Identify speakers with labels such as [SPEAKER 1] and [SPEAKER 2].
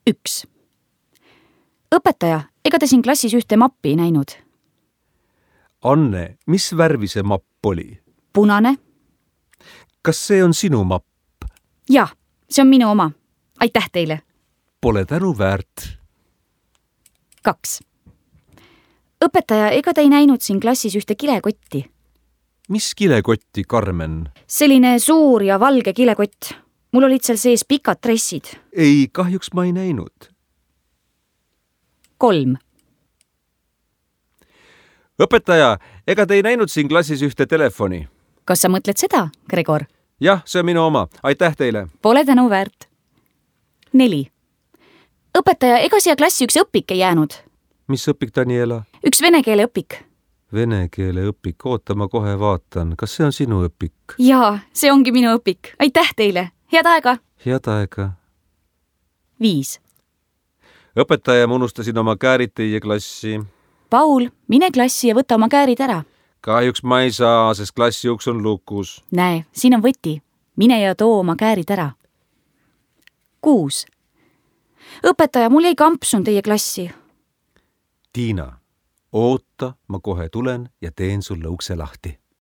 [SPEAKER 1] 1. Õpetaja, ega te siin klassis ühte mappi ei näinud?
[SPEAKER 2] Anne, mis värvi see mapp oli?
[SPEAKER 1] Punane.
[SPEAKER 2] Kas see on sinu mapp?
[SPEAKER 1] Jah, see on minu oma. Aitäh teile.
[SPEAKER 2] Pole tänu väärt.
[SPEAKER 1] 2. Õpetaja, ega te ei näinud siin klassis ühte kilekotti?
[SPEAKER 2] Mis kilekotti, Karmen?
[SPEAKER 1] Selline suur ja valge kilekott. Mul olid seal sees pikad dressid.
[SPEAKER 2] Ei, kahjuks ma ei näinud.
[SPEAKER 1] 3.
[SPEAKER 2] Õpetaja, ega te ei näinud siin klassis ühte telefoni?
[SPEAKER 1] Kas sa mõtled seda, Gregor?
[SPEAKER 2] Jah, see on minu oma. Aitäh teile.
[SPEAKER 1] Pole tänu väärt. 4. Õpetaja, ega siia klassi üks õpik ei jäänud?
[SPEAKER 2] Mis õpik, Daniela?
[SPEAKER 1] Üks vene keele õpik.
[SPEAKER 2] Vene keele õpik. Oota, ma kohe vaatan. Kas see on sinu õpik?
[SPEAKER 1] Jaa, see ongi minu õpik. Aitäh teile. Head aega.
[SPEAKER 2] Head aega.
[SPEAKER 1] 5.
[SPEAKER 2] Õpetaja, ma unustasin oma käärid teie klassi.
[SPEAKER 1] Paul, mine klassi ja võta oma käärid ära.
[SPEAKER 2] Kahjuks ma ei saa, sest klassi uks on lukus.
[SPEAKER 1] Näe, siin on võti. Mine ja too oma käärid ära. 6. Õpetaja, mul jäi kampsun teie klassi.
[SPEAKER 2] Tiina, oota, ma kohe tulen ja teen sulle ukse lahti.